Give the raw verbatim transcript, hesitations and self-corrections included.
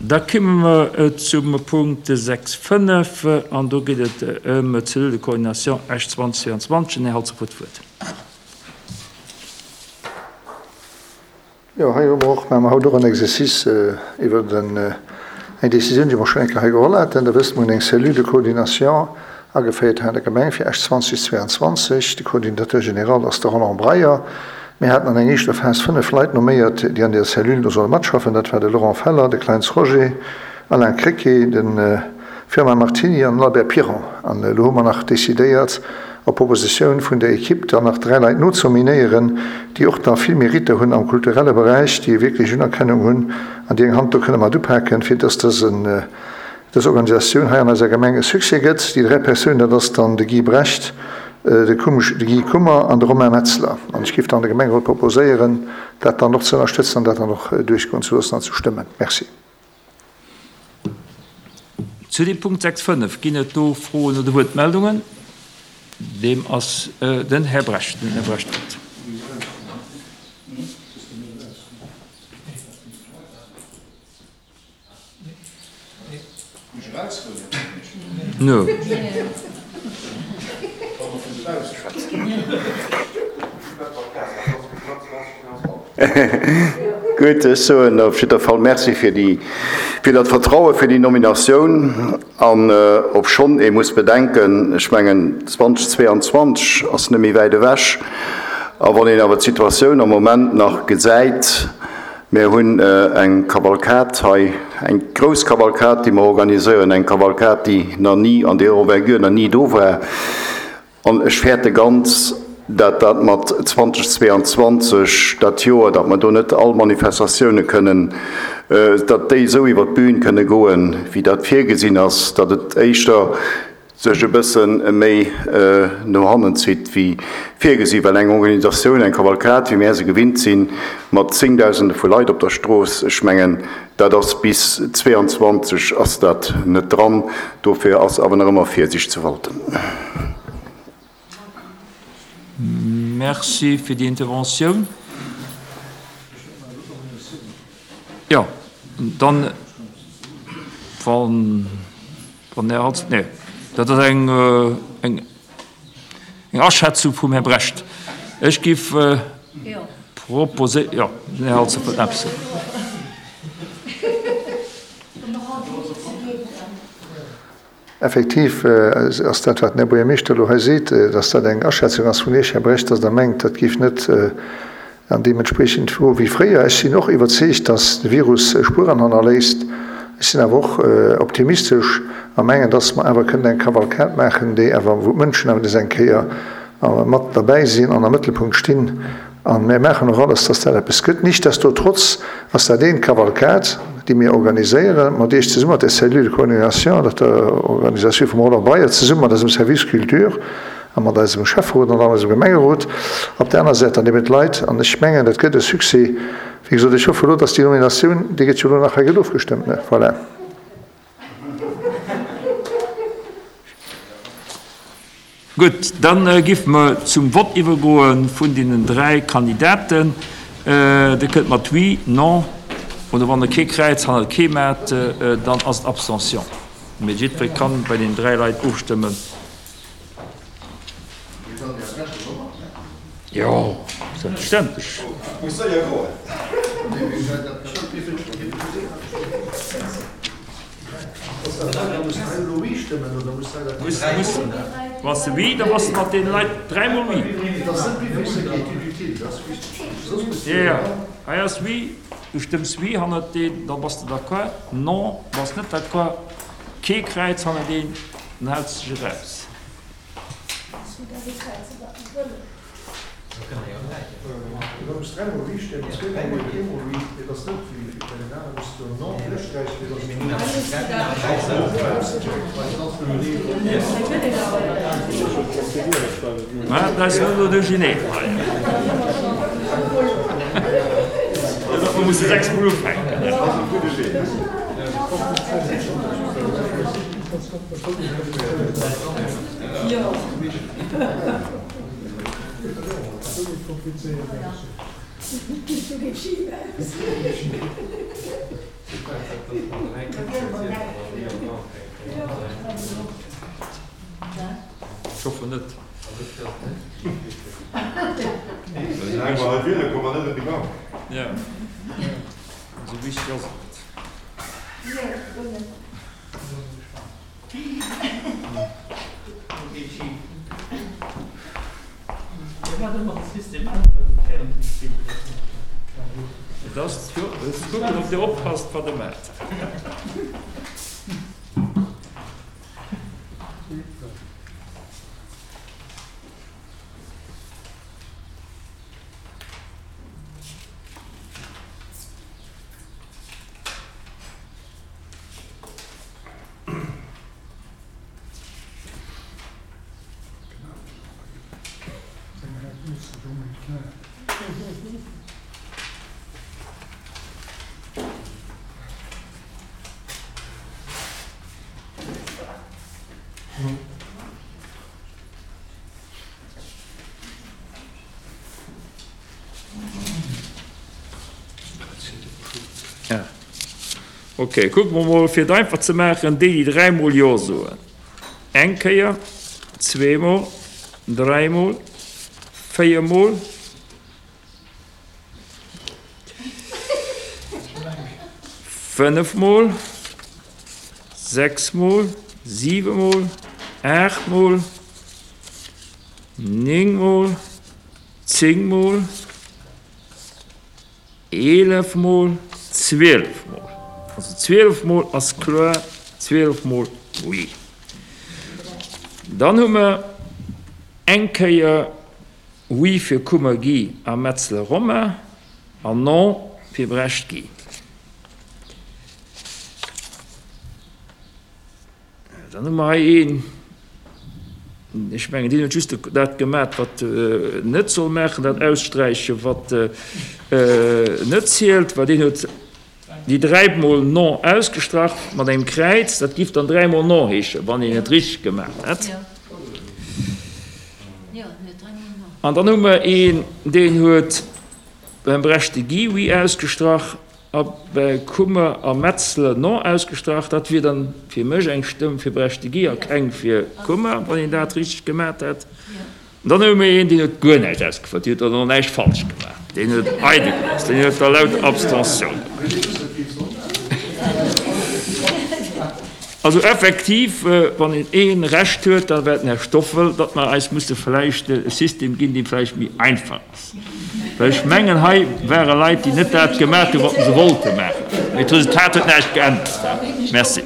Da komme mer zum Punkt sechs fënnef an do geet et ëm d'Cellule de coordination Esch zwanzeg zwéianzwanzeg. Den Här Halsdorf huet d'Wuert. Jo, hei hu mer och, maache mer haut och en Exercice iwwer den, eng Décisioun, déi mer schonn eng Kéier hei geholl haten. Der wësst, mer hunn eng Cellule de coordination ageféiert hei an der Gemeng fir Esch zwanzeg zwéianzwanzeg. De Coordinateur général ass de Roland Breyer. Mir haten an enger éischter Phas fënnef Leit nomméiert, déi an där Cellule do solle matschaffen. Dat war de Laurent Feller, de Kleins Roger, Alain Krecké, de Firmin Martini an den Albert Piron. An elo hu mer nach decidéiert, op Propositioun vun der Equipe, dann nach dräi Leit nozenominéieren, déi och da vill Mérite hunn am kulturelle Beräich, déi wierklech Unerkennung hunn an déi eng Hand do kënne mat upaken, fir dass dësen, dës Organisatioun hei an eiser Gemeng e Succès gëtt. Déi dräi Persounen, dat ass dann de Guy Brecht, de Guy Kummer an de Romain Metzler. An ech géif dann de Gemengerot proposéieren, dat dann och ze ënnerstëtzen an dat dann och duerchgoen ze loossen an ze stëmmen. Merci. Zu deem Punkt sechs fënnef ginn et do Froen oder Wuertmeldungen? Deem ass den Här Brecht. Den Här Brecht huet. No. Gutt, ech soen op jidder Fall Merci fir déi, fir dat Vertraue fir déi Nominatioun. An obschonn ee muss bedenken, ech mengen zwanzeg zwéianzwanzeg ass net méi wäit ewech, a wann een awer d'Situatioun am Moment nach gesäit, mir hunn eng Kavalkad hei, eng grouss Kavalkad, déi mer organiséieren, eng Kavalkad, déi nach ni an där Envergure nach ni do war, an ech fäerte ganz, dat dat mat zwanzeg zwéianzwanzeg, dat Joer, datt mer do net all Manifestatioune kënnen, datt déi esou iwwer d'Bün kënne goen, wéi dat virgesinn ass, datt et éischter sech e bësse méi no hannen zitt wéi virgesi, well eng Organisatioun, eng Kavalkad, wéi mär se gewinnt sinn, mat Zéngdausende vu Leit op der Strooss, ech mengen, dat ass bis zwéianzwanzeg ass dat net dran. Dofir ass awer nach ëmmer Virsicht ze walten. Merci fir déi Interventioun. Jo, dann, wann, wann Här Hans, nee, dat ass eng, eng, eng Aschätzung vum Här Brecht. Ech géif proposéieren, jo, den Här Halsdorf wëllt eppes soen. Effektiv ass dat, wat den Här Buergermeeschter elo hei seet, dass dat eng Aschätzung ass vun Iech, Här Brecht, dass Der mengt, dat géif net an deementspreechend goe wéi fréier. Ech sinn och iwwerzeegt, dass de Virus Spueren hannerléisst. Ech sinn awer och optimistesch a mengen, dass mer awer kënnen eng Kavalkad maachen, déi awer, wou d'Mënschen awer nees eng Kéier mat derbäi sinn an am Mëttelpunkt stinn. A mir maachen och alles, dass dat eppes gëtt. Nichtsdestotrotz ass dat een Kavalkad, déi mir organiséieren, mat Iech zesummen, mat der Cellule de coordination, mat der Organisatioun vum Roland Breyer, zesummen mat eisem Service Culture a mat eisem Schäfferot an eisem Gemengerot op der aner Säit, an eben d'Leit. An ech mengen, dat gëtt e Succès. Wéi gesot, ech hoffe elo, dass déi Nominatioun, déi gëtt jo elo nach hei gëtt ofgestëmmt, ne? Voilà. Gutt, da géife mer zum Vott iwwergoe vun deenen dräi Kandidaten. Dir kënnt mat Oui, Non oder wann Der kee Kräiz hannert kee maacht, dann ass et Abstention. Mee jiddweree kann bei deenen dräi Leit ofstëmmen. Jo, selbstverständlech. Bass de oui, da bass de mat deene Leit dräimol oui. Jo, jo, hei ass oui, du stëmms oui hannert deen, da bass de d'accord. Non, bass net d'accord, kee Kräiz hannert een, dann häls de dech eraus. Dat ass elo duercherneen hei. Mir musse sechs mol ufänken. Ech hoffen net. Jo, esou wichteg ass et net. Et ass ze kucken, ob Dir oppasst, wat Der maacht. Ok, kucke mer mol, fir et einfach ze maachen, déi, déi dräimol Jo soen. Eng Kéier, zweemol, dräimol, véiermol, fënnefmol, sechsmol, siwemol, aachtmol, néngmol, zéngmol, eelef mol, zwielef mol. Also zwielef mol ass kloer, zwielef mol oui. Dann hu mer eng Kéier oui fir Kummer Guy a Metzler Romain an non fir Brecht Guy. Dann hu mer hei een, ech mengen, deen huet just dat gemat, wat net soll maachen, dat aussträichen, wat net zielt, well deen huet déi dräimol non ausgestrach mat engem Kräiz. Dat giff dann dräimol non heeschen, wann een et richteg gemaach hätt. An dann hu mer een, deen huet beim Brechte Guy oui ausgestrach a bei Kummer a Metzler non ausgestrach. Dat wier dann fir mech eng Stëmm fir Brechte Guy a keng fir Kummer, wann een dat richteg gemaach hätt. An dann hu mir een, deen huet guer näischt ausgefouert, deen huet och näischt falsch gemaach, deen huet eidel gelooss, deen huet da lauter Abstentioun gemaach. Also effektiv, wann een ee Recht huet, da war et den Här Stoffel, datt mer eis musse vläicht e System ginn, dee vläicht méi einfach ass. Well ech mengen, hei ware Leit, déi net dat gemaach hunn, wat se wollte maachen. Mee d'Resultat huet näischt geännert. Merci.